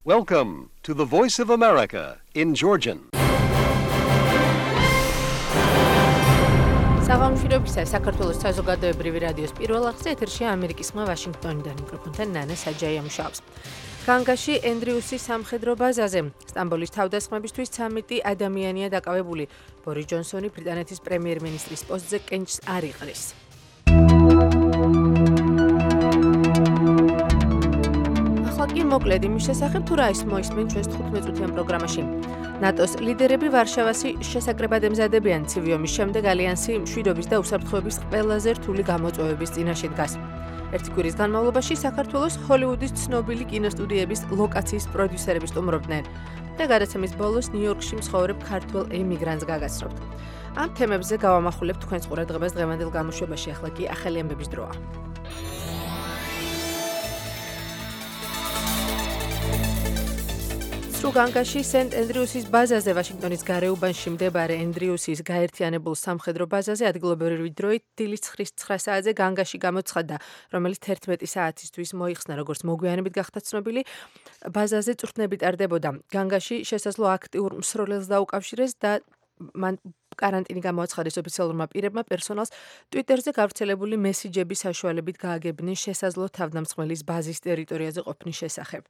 Welcome to the Voice of America in Georgian. საღამოშრობისა საქართველოს საზოგადოებრივი რადიოს პირველ აღზე ეთერშია ამერიკის ხმა ვაშინგტონიდან მიკროფონთან ნანა საჯაია მუშაობს. განგაში ენდრიუსის სამხედრო ბაზაზე სტამბოლის თავდასხმებისთვის 13 ადამიანია დაკავებული. ბორის ჯონსონი ბრიტანეთის პრემიერ-მინისტრის პოსტზე კენჭს არ იყრის. ახლა მოკლედ იმის შესახებ თუ რა ის მოისმენ ჩვენს 15-წუთიან პროგრამაში. ნატოს ლიდერები ვარშავაში შესაკრებად ემზადებიან ცივი ომის შემდეგ ალიანსი მშვიდობის და უსაფრთხოების ყველაზე რთული გამოწვევების წინაშე დგას. ერთი კვირის განმავლობაში საქართველოს ჰოლივუდის ცნობილი კინოსტუდიების ლოკაციის პროდიუსერები სტუმრობდნენ და გადაცემის ბოლოს ნიუ-იორკში მსხოვრებ ქართველ ემიგრანტს გაგაცნობთ. ამ თემებზე გავამახვილებ თქვენს ყურადღებას დღევანდელ გამოშვებაში, ახლა კი ახალი ამბების დროა. განგაში სენტ ენდრიუსის ბაზაზე ვაშინგტონის გარეუბანში მდებარე ენდრიუსის გაერთიანებულ სამხედრო ბაზაზე ადგილობრივი დროით დილის 9 საათზე განგაში გამოცხადდა, რომელიც 11 საათისთვის მოიხსნა, როგორც მოგვიანებით გახდა ცნობილი, ბაზაზე წვრთნები ტარდებოდა. განგაში შესაძლო აქტიურ მსროლელს დაუკავშირეს და მან კარანტინი გამოაცხადეს ოფიციალურმა პირებმა პერსონალს ტვიტერზე გავრცელებული მესიჯების საშუალებით გააგებდნენ შესაძლო თავდამსხმელის ბაზის ტერიტორიაზე ყოფნის შესახებ.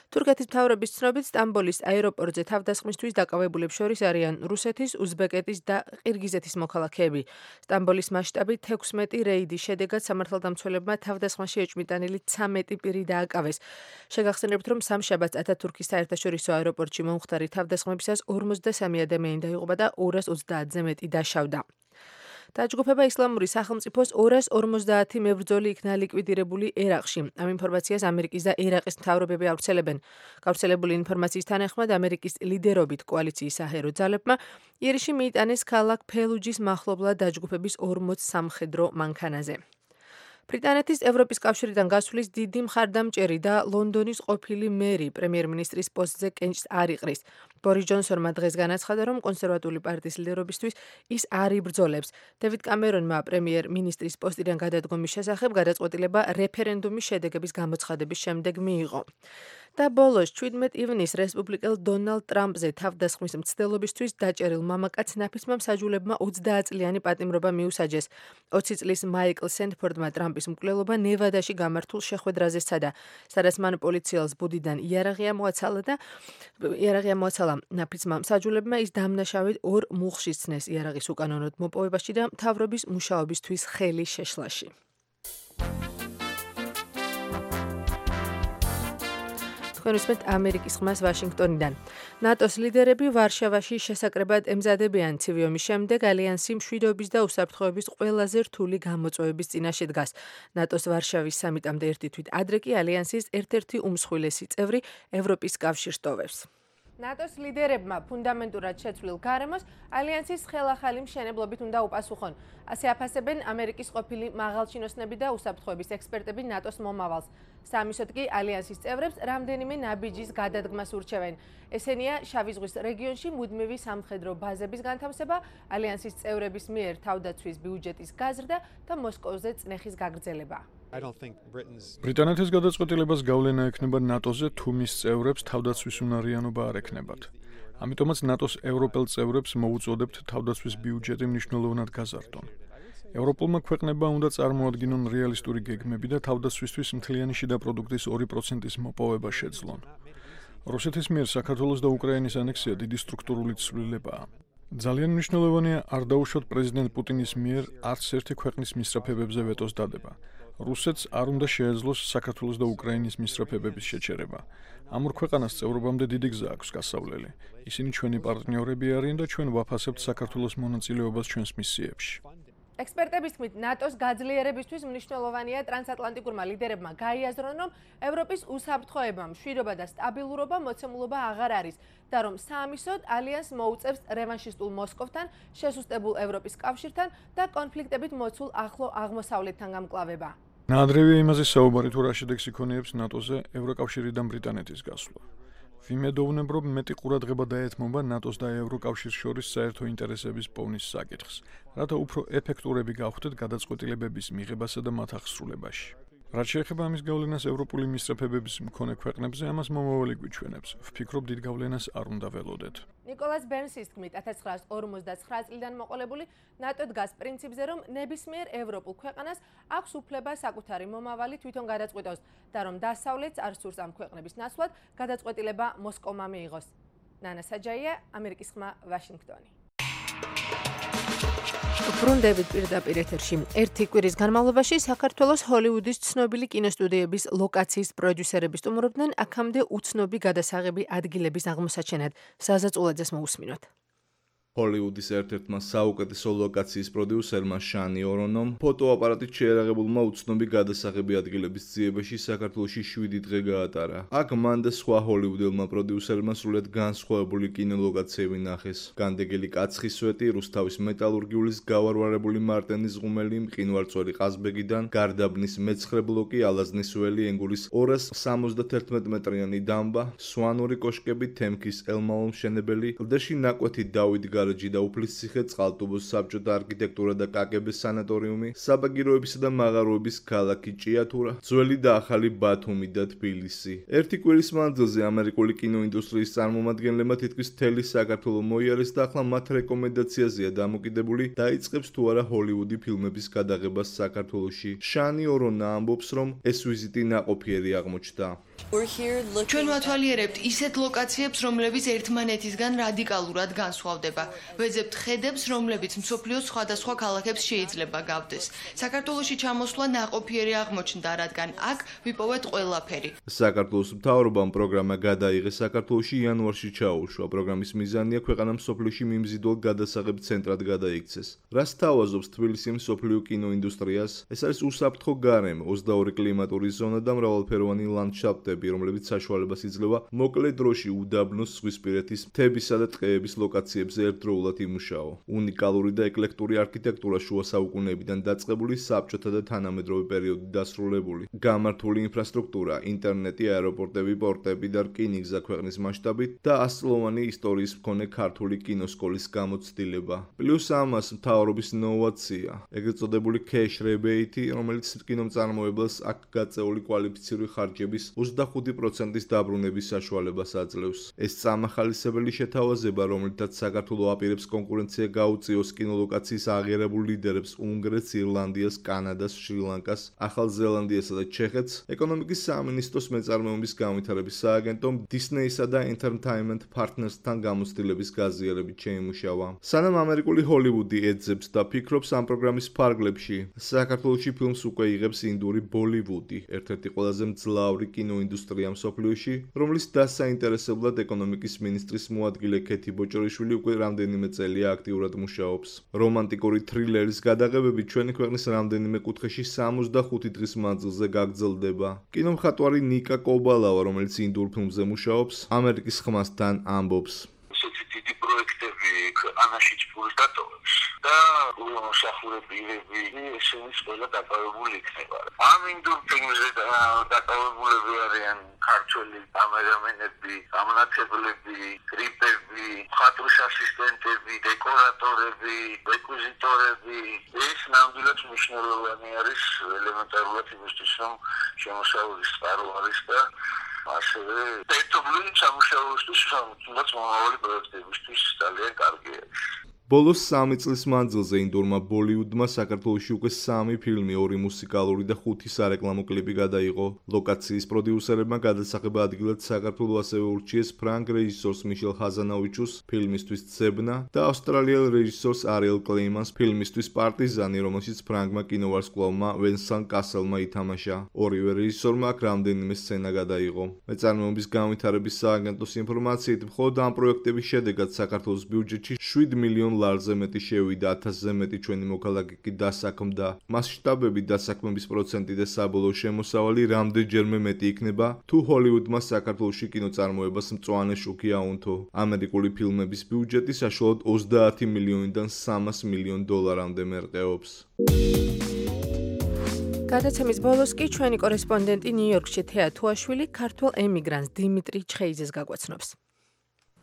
თურქეთის მთავრობის ცნობით სტამბოლის აეროპორტზე თავდასხმისთვის დაკავებულებს შორის არიან რუსეთის, უზბეკეთის და ყირგიზეთის მოქალაქეები. სტამბოლის მასშტაბით 16 რეიდის შედეგად სამართალდამცველებმა თავდასხმაში ეჭვმიტანილი 13 პირი დააკავეს. შეგახსენებთ, რომ სამშაბათს ათათურქის საერთაშორისო აეროპორტში მომხდარი თავდასხმებისას 53 ადამიანი დაიღუპა და 230-ზე მეტი დაშავდა. დაჯგუფება ისლამური სახელმწიფოს 250 მებრძოლი იქნა ლიკვიდირებული ერაყში. ამ ინფორმაციას ამერიკის და ერაყის მთავრობები ავრცელებენ. გავრცელებული ინფორმაციის თანახმად ამერიკის ლიდერობით კოალიციის საჰერო ძალებმა ირიში მიიტანეს ქალაქ ფელუჯის მახლობლად დაჯგუფების 40 სამხედრო მანქანაზე. ბრიტანეთის ევროპის კავშირიდან გასვლის დიდი მხარდამჭერი და ლონდონის ყოფილი მერი პრემიერ-მინისტრის პოსტზე კენჭს არ იყრის. ბორის ჯონსონმა დღეს განაცხადა, რომ კონსერვატული პარტიის ლიდერობისთვის ის არ იბრძოლებს. დევიდ კამერონმა პრემიერ-მინისტრის პოსტიდან გადადგომის შესახებ გადაწყვეტილება რეფერენდუმის შედეგების გამოცხადების შემდეგ მიიღო. და ბოლოს 17 ივნისს რესპუბლიკელ დონალდ ტრამპზე თავდასხმის მცდელობისთვის დაჭერილ მამაკაც ნაფისმა მსაჯულებმა 20 წლიანი პატიმრობა მიუსაჯეს. 20 წლის მაიკლ სენდფორდმა ტრამპის მკვლელობა ნევადაში გამართულ შეხვედრაზე სცადა, სადაც მან პოლიციელს ბუდიდან იარაღი ამოაცალა. ნაფისმა მსაჯულებმა ის დამნაშავედ 2 მუხლში სცნეს იარაღის უკანონოდ მოპოვებაში და მთავრობის მუშაობისთვის ხელის შეშლაში. თქვენისმეთ ამერიკის ხმას ვაშინგტონიდან. ნატოს ლიდერები ვარშავაში შესაკრებად ემზადებიან ცივი ომის შემდეგ ალიანსი მშვიდობის და უსაფრთხოების ყველაზე რთული გამოწვევების წინაშე დგას. ნატოს ვარშავის სამიტამდე ერთი თვით ადრე კი ალიანსის ერთ-ერთი უმსხვილესი წევრი ევროპის კავშირს ტოვებს. ნატოს ლიდერებმა ფუნდამენტურად შეცვლილ გარემოს ალიანსის ხელახალი მშენებლობით უნდა უპასუხონ. ასე აფასებენ ამერიკის ყოფილი მაღალჩინოსნები და უსაფრთხოების ექსპერტები ნატოს მომავალს. სამისოდ კი ალიანსის წევრებს რამდენიმე ნაბიჯის გადადგმას ურჩევენ. ესენია შავი ზღვის რეგიონში მუდმივი სამხედრო ბაზების განთავსება, ალიანსის წევრების მიერ თავდაცვის ბიუჯეტის გაზრდა და მოსკოვზე წნეხის გაგრძელება. ბრიტანეთის გადაწყვეტილებას გავლენა ექნება ნატოზე თუ მის წევრებს თავდაცვის უნარიანობა არ ექნებათ. ამიტომაც ნატოს ევროპელ წევრებს მოუწოდებთ თავდაცვის ბიუჯეტი მნიშვნელოვნად გაზარდონ. ევროპულმა ქვეყნებმა უნდა წარმოადგინონ რეალისტური გეგმები და თავდაცვისთვის მთლიანი შიდა პროდუქტის 2%-ის მოპოვება შეძლონ. რუსეთის მიერ საქართველოს და უკრაინის ანექსია დიდი სტრუქტურული ცვლილებაა. ძალიან მნიშვნელოვანია არ დაუშვათ პრეზიდენტ პუტინის მიერ არც ერთი ქვეყნის მისწრაფებებზე ვეტოს დადება. რუსეთს არ უნდა შეეძლოს საქართველოს და უკრაინის მისწრაფებების შეჩერება. ამ ორ ქვეყანას წევრობამდე დიდი გზა აქვს გასავლელი. ისინი ჩვენი პარტნიორები არიან და ჩვენ ვაფასებთ საქართველოს მონაწილეობას ჩვენს მისიებში. ექსპერტების თქმით, ნატოს გაძლიერებისთვის მნიშვნელოვანია ტრანსატლანტიკურმა ლიდერებმა გაიაზრონ, რომ ევროპის უსაფრთხოება, მშვიდობა და სტაბილურობა მოცემულობა აღარ არის და რომ საამისოდ ალიანსს მოუწევს რევანშისტულ მოსკოვთან, შესუსტებულ ევროპის კავშირთან და კონფლიქტებით მოცულ ახლო აღმოსავლეთთან გამკლავება. ნაადრევია იმაზე საუბარი თუ რა შედეგს იქონიებს ნატოზე ევროკავშირიდან ბრიტანეთის გასვლა. ვიმედოვნებ, რომ მეტი ყურადღება დაეთმობა ნატოს და ევროკავშირს შორის საერთო ინტერესების პოვნის საკითხს, რათა უფრო ეფექტურები გავხდეთ გადაწყვეტილებების მიღებასა და მათ აღსრულებაში. რაც შეეხება ამის გავლენას ევროპული მისწრაფებების მქონე ქვეყნებზე, ამას მომავალი გვიჩვენებს. ვფიქრობ, დიდ გავლენას არ უნდა ველოდეთ. ნიკოლას ბერნსის თქმით, 1959 წლიდან მოყოლებული ნატო დგას პრინციპზე, რომ ნებისმიერ ევროპულ ქვეყანას აქვს უფლება საკუთარი მომავალი თვითონ გადაწყვიტოს და რომ დასავლეთს არ სურს ამ ქვეყნების ნაცვლად გადაწყვეტილება მოსკოვმა მიიღოს. ნანა საჯაია, ამერიკის ხმა, ვაშინგტონი. ბრუნდებით პირდაპირ ეთერში. ერთი კვირის განმავლობაში საქართველოს ჰოლივუდის ცნობილი კინოსტუდიების ლოკაციის პროდიუსერები სტუმრობდნენ აქამდე უცნობი გადასაღები ადგილების აღმოსაჩენად. საზა წულაძეს მოусმინოთ. ჰოლივუდის ერთ-ერთმა საუკეთესო ლოკაციის პროდიუსერმა შანი ორონომ ფოტოაპარატით შეერაღებულმა უცნობი გადასაღები ადგილების ძიებაში საქართველოში 7 დღე გაატარა. აქ მან და სხვა ჰოლივუდილმა პროდიუსერმა სრულად განსხვავებული კინოლოკაციები ნახეს. განდეგელი კაცხის სვეტი, რუსთავის მეტალურგიულის გავარვარებული მარტენის ღუმელი, მყინვარწვერი ყაზბეგიდან, გარდაბნის მეცხრე ბლოკი, ალაზნის ველი, ენგურის 271 მეტრიანი დამბა, სვანური კოშკები, თემქის ელმალო მშენებელი, კლდეში ნაკვეთი დავით გარეჯი და უფლისციხე, წყალტუბოს საბჭოთა არქიტექტურა და კაკების სანატორიუმი, საბაგიროებისა და მაღაროების ქალაქი ჭიათურა, ძველი და ახალი ბათუმი და თბილისი. ერთი კვირის მანძილზე ამერიკული კინოინდუსტრიის წარმომადგენლებმა თითქმის მთელი საქართველო მოიარეს და ახლა მათ რეკომენდაციაზეა დამოკიდებული დაიწყებს თუ არა ჰოლივუდი ფილმების გადაღებას საქართველოში. შანი ორონა ამბობს, რომ ეს ვიზიტი ნაყოფიერი აღმოჩნდა. ჩვენ ვათვალიერებთ ისეთ ლოკაციებს, რომლებიც ერთმანეთისგან რადიკალურად განსხვავდება. ვეძებთ ხედებს, რომლებიც მსოფლიოს სხვადასხვა ქალაქებს შეიძლება გავდეს. საქართველოში ჩამოსვლა ნაყოფიერი აღმოჩნდა, რადგან აქ ვიპოვეთ ყველაფერი. საქართველოს მთავრობამ პროგრამა გადაიღეს საქართველოში იანვარში ჩაუშვა. პროგრამის მიზანია ქვეყანა მსოფლიოში მიმზიდველ გადასაღებ ცენტრად გადაიქცეს. რას თავაზობს თბილისი მსოფლიო კინოინდუსტრიას? ეს არის უსაფრთხო გარემო, 22 კლიმატური ზონა და მრავალფეროვანი ლანდშაფტები, რომლებიც საშუალებას იძლევა მოკლე დროში უდაბნოს, ზღვისპირეთის, მთებისა და ტყეების ლოკაციებზე ერთდროულად იმუშაო. უნიკალური და ეკლექტური არქიტექტურა შუა საუკუნეებიდან დაწყებული, საბჭოთა და თანამედროვე პერიოდით დასრულებული. გამართული ინფრასტრუქტურა, ინტერნეტი, აეროპორტები, პორტები და რკინიგზა ქვეყნის მასშტაბით და ასწლოვანი ისტორიის მქონე ქართული კინოსკოლის გამოცდილება. პლუს ამას მთავრობის ინოვაცია, ეგრეთ წოდებული cash rebate, რომელიც კინომწარმოებელს აქ გაწეული კვალიფიციური ხარჯების 25%-ის დაბრუნების საშუალებას აძლევს. ეს წამახალისებელი შეთავაზება, რომლითაც საქართველო აპირებს კონკურენცია გაუწიოს კინოლოკაციის აღიარებულ ლიდერებს უნგრეთს, ირლანდიას, კანადას, შრი-ლანკას, ახალ ზელანდიასა და ჩეხეთს, ეკონომიკის სამინისტროს მეწარმეობის განვითარების სააგენტომ დისნეისა და Entertainment Partners-თან გამოცდილების გაზიარებით შეიმუშავა. სანამ ამერიკული ჰოლივუდი ეძებს და ფიქრობს ამ პროგრამის ფარგლებში, საქართველოში ფილმს უკვე იღებს ინდური ბოლივუდი, ერთ-ერთი ყველაზე მძლავრი კინოინდუსტრია მსოფლიოში, რომლის დასაინტერესებლად ეკონომიკის მინისტრის მოადგილე ქეთი ბოჭორიშვილი უკვე რამდენიმე წელია აქტიურად მუშაობს. რომანტიკური თრილერის გადაღებები ჩვენი ქვეყნის რამდენიმე კუთხეში 65 დღის მანძილზე გაგრძელდება. კინომხატვარი ნიკა კობალავა, რომელიც ინდურ ფილმზე მუშაობს, ამერიკის ხმასთან ამბობს. ესეთი დიდი პროექტები ქვეყანაშიც ფულს დატოვებს და მოსახურებები ესენის ყველა დაკავებული იქნება. ამ ინდურ ფილმზე დაკავებულები არიან ქართველი კამერამენები, გამონათებლები, გრიპები, მხატვრის ასისტენტები, დეკორატორები, რეკვიზიტორები. ეს ნამდვილად მნიშვნელოვანი არის ელემენტარულად იმისთვის, რომ შემოსავლის წყარო არის და ასევე ერთობლივი სამუშაოისთვის, თუნდაც მომავალი პროექტებისთვის ძალიან კარგი არის. ბოლოს 3 წლის მანძილზე ინდურმა ბოლივუდმა საქართველოში უკვე 3 ფილმი, 2 მუსიკალური და 5 სარეკლამო კლიპი გადაიღო. ლოკაციის პროდიუსერებმა გადასაღება ადგილად საქართველო ასევე ურჩიეს ფრანგ რეჟისორს მიშელ ჰაზანავიჩუს ფილმისთვის ძებნა და ავსტრალიელ რეჟისორს არიელ კლეიმანს ფილმისთვის პარტიზანი, რომელშიც ფრანგმა კინოვარსკვლავმა ვენსან კასელმა ითამაშა. ორივე რეჟისორმა აქ რამდენიმე სცენა გადაიღო. მეწარმეობის განვითარების სააგენტოს ინფორმაციით, მხოლოდ ამ პროექტების შედეგად საქართველოს ბიუჯეტში 7 მილიონ ლარზე მეტი შევიდა, 1000-ზე მეტი ჩვენი მოქალაქე კი დასაქმდა. მასშტაბები, დასაქმების პროცენტი და საბოლოო შემოსავალი რამდენჯერმე მეტი იქნება, თუ ჰოლივუდმა საქართველოში კინოწარმოებას მწვანე შუქი აუნთო. ამერიკული ფილმების ბიუჯეტი საშუალოდ 30 მილიონიდან 300 მილიონ დოლარამდე მერყეობს. გადაცემის ბოლოს კი ჩვენი კორესპონდენტი ნიუ-იორკში თეა თუაშვილი ქართველ ემიგრანტს დიმიტრი ჩხეიძეს გაგვაცნობს.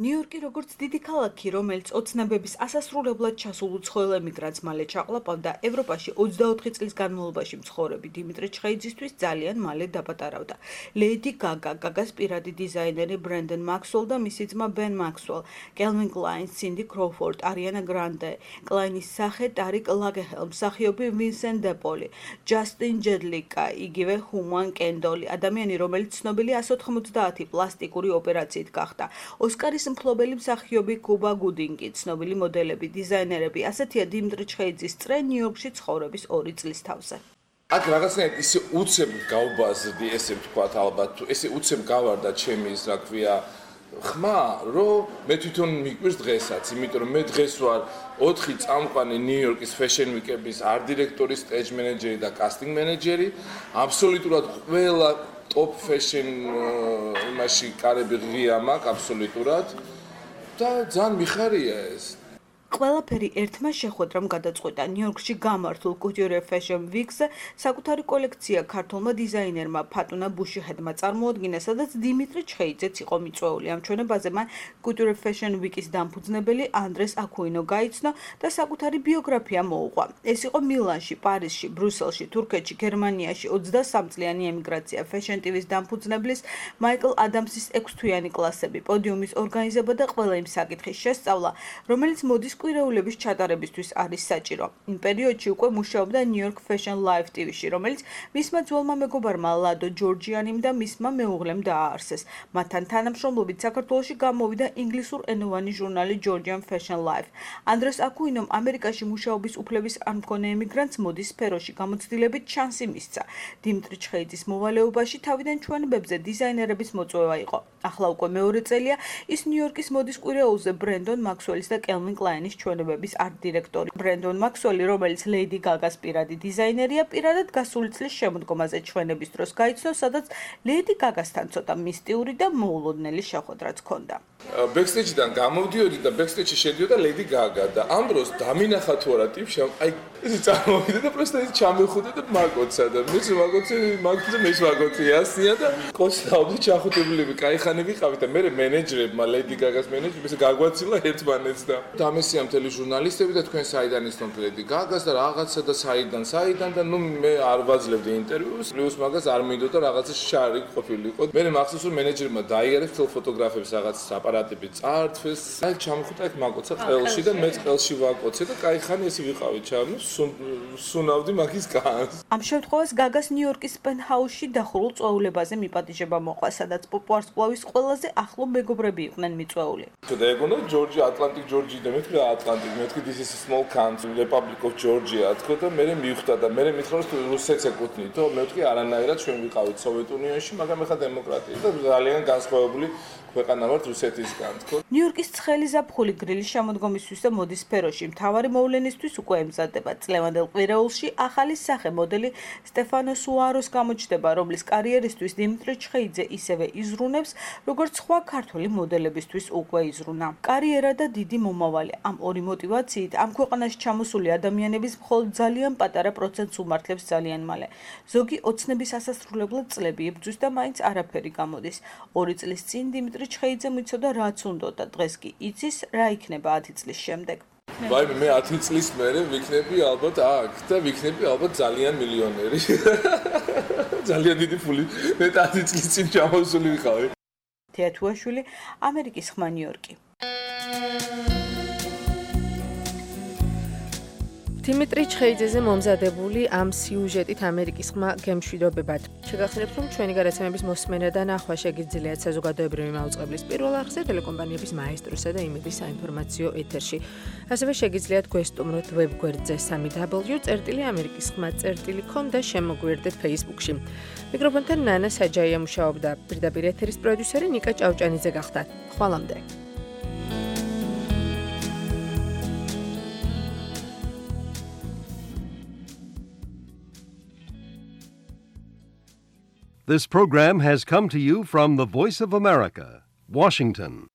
ნიუ-იორკი როგორც დიდი ქალაქი, რომელიც ოცნებების ასასრულებლად ჩასულ უცხოელ ემიგრანტს მალე ჩაყლაპავდა, ევროპაში 24 წლის განმავლობაში მცხოვრები დიმიტრი ჩხეიძისთვის ძალიან მალე დაბატარავდა. ლეიდი გაგა, გაგას პირადი დიზაინერი ბრენდონ მაქსველ და მისი ძმა ბენ მაქსველ, კელვინ კლაინ, სინდი კროუფორდ, არიანა გრანდე, კლაინის სახე ტარიკ ლაგეჰელ, მსახიობი ვინსენტ დეპოლი, ჯასტინ ჯედლიკა, იგივე ჰუმან კენდოლი, ადამიანი, რომელიც ცნობილი 190 პლასტიკური ოპერაციით გახდა. ოსკარის მფლობელი მსახიობი კუბა გუდინგი, ცნობილი მოდელები, დიზაინერები, ასეთია დიმიტრი ჩხეიძის წრე ნიუ-იორკში ცხოვრების 2 წლის თავზე. აქ რაღაცნაირად ისე უცებ გავბაზრდი, ესე ვთქვათ, ალბათ, ესე უცებ გავარდა ჩემი ის, რა ქვია, ხმა, რომ მე თვითონ მიკვირს დღესაც, იმიტომ რომ მე დღეს ვარ 4 წამყვანი ნიუ-იორკის fashion week-ების art-დირექტორი, stage manager და casting manager-ი, აბსოლუტურად ყველა top fashion იმაში კარები ღია მაქვს აბსოლუტურად და ძალიან მიხარია ეს. ყველაფერი ერთმა შეხვედრამ გადაწყვეტა ნიუ-იორკში გამართულ Couture Fashion Week-ზე საკუთარი კოლექცია ქართულმა დიზაინერმა ფატუნა ბუშიჰედმა წარმოადგინა, სადაც დიმიტრი ჩხეიძეც იყო მიწვეული. ამ ჩვენებაზე მან Couture Fashion Week-ის დამფუძნებელი ანდრეს აკუინო გაიცნო და საკუთარი ბიოგრაფია მოუყვა. ეს იყო მილანში, პარიზში, ბრუსელში, თურქეთში, გერმანიაში 23 წლიანი ემიგრაცია, Fashion TV-ის დამფუძნებლის მაიკლ ადამსის 6 თვიანი კლასები, პოდიუმის ორგანიზება და ყველა იმ საკითხის შესწავლა, რომელიც მოდის კვირეულების ჩატარებისთვის არის საჭირო. იმ პერიოდში უკვე მუშაობდა New York Fashion Live TV-ში, რომელიც მისმა ძველმა მეგობარმა ლადო ჯორჯიანიმ და მისმა მეუღლემ დააარსეს. მათთან თანამშრომლობით საქართველოში გამოვიდა ინგლისურენოვანი ჟურნალი Georgian Fashion Life. ანდრეს აკუინომ ამერიკაში მუშაობის უფლების არ მქონე ემიგრანტს მოდის სფეროში გამოცდილებით შანსი მისცა. დიმიტრი ჩხეიძის მოვალეობაში თავიდან ჩვენებებზე დიზაინერების მოწვევა იყო. ახლა უკვე მეორე წელია ის ნიუ-იორკის მოდის კვირეულზე ბრენდონ მაქსველის და კელვინ კლაინის ჩვენებების art-დირექტორი. ბრენდონ მაქსველი, რომელიც ლეიდი გაგას პირადი დიზაინერია, პირადად გასული წლის შემოდგომაზე ჩვენების დროს გაიცნო, სადაც ლეიდი გაგასთან ცოტა მისტიური და მოულოდნელი შეხვედრაც ჰქონდა. Backstage-დან გამოვდიოდი და backstage-ში შედიოდა ლეიდი გაგა და ამ დროს დამინახა თუ არა ტიპში, აი ეს წარმოვიდა და პროსტა ის ჩამეხუდა და მაგოცა და მეც მაგოცე მეც მაგოცე ასია და კოსტაუბი ჩახუტებულები, кайხანი ვიყავით და მე მენეჯერებმა ლეიდი გაგას მენეჯერებს გაგვაცილა ერთმანეთს და დამესია მთელი ჟურნალისტები და თქვენ საიდან ისნოთ ლეიდი გაგას და რაღაცა და საიდან და ნუ მე არ ვაძლევდი ინტერვიუს, პლუს მაგას არ მინდოდა რაღაცა შარი ყოფილიყო. მე მახსოვს რომ მენეჯერმა დაიარეს თელ ფოტოგრაფებს რაღაც აპარატები წართვეს, აი ჩამხუტა ეგ მაგოცა ყელში და მე ყელში ვაკოცე და кайხანი ესე ვიყავი ჩამო სუნავდი მაგის განს. ამ შემთხვევას გაგას ნიუ-იორკის პენტჰაუსში დახურულ წვეულებაზე მიპატიჟება მოყვა, სადაც პოპვარსკვლავის ყველაზე ახლო მეგობრები იყვნენ მიწვეული. და ეგონა ჯორჯი, ატლანტიკ ჯორჯი და მეთქი ატლანტიკ, მეთქი this is a small country, Republic of Georgia, თქო და მე მივხვდა და მე მითხრა რომ რუსეთს ეკუთვნითო, მე ვთქვი არანაირად ჩვენ ვიყავით სოვიეტ უნიონში, მაგრამ ეხლა დემოკრატია და ძალიან განსხვავებული ქვეყანა ვართ რუსეთისგან, თქო. ნიუ-იორკის ცხელი ზაფხული გრილის შემოდგომისთვის და მოდის სფეროში მთავარი მოვლენისთვის უკვე ემზადება. წლევანდელ კვირეულში ახალი სახე მოდელი სტეფანო სუაროს გამოჩნდება, რომლის კარიერისთვის დიმიტრი ჩხეიძე ისევე იზრუნებს, როგორც სხვა ქართველი მოდელებისთვის უკვე იზრუნა. კარიერა და დიდი მომავალი. ამ ორი მოტივაციით ამ ქვეყანაში ჩამოსული ადამიანების მხოლოდ ძალიან პატარა პროცენტს უმართლებს ძალიან მალე. ზოგი ოცნების ასასრულებლად წლები იბრძვის და მაინც არაფერი გამოდის. 2 წლის წინ დიმიტრი ჩხეიძემ იცოდა რაც უნდოდა, დღეს კი იცის რა იქნება 10 წლის შემდეგ. ვაიმე მე 10 წლის მერე ვიქნები ალბათ აქ და ვიქნები ალბათ ძალიან მილიონერი. ძალიან დიდი ფული მე 10 წლის წინ ჩამოსული ვიყავი. თეატუაშვილი, ამერიკის ხმა ნიუ-იორკი. დიმიტრი ჩხეიძეზე მომზადებული ამ სიუჟეტით ამერიკის ხმა გემშვიდობებად. შეგახსენებთ, რომ ჩვენი გადაცემების მოსმენა და ნახვა შეგიძლიათ საზოგადოებრივი მაუწყებლის პირველ არხზე, ტელეკომპანიების მაესტროსა და იმედის საინფორმაციო ეთერში. ასევე შეგიძლიათ გვესტუმროთ ვებგვერდზე www.amerikiskhma.com და შემოგვიერთდეთ Facebook-ში. მიკროფონთან ნანა საჯაია მუშაობდა, პირდაპირ ეთერის პროდიუსერი ნიკა ჭავჭანიძე გახდა. ხვალამდე. This program has come to you from the Voice of America, Washington.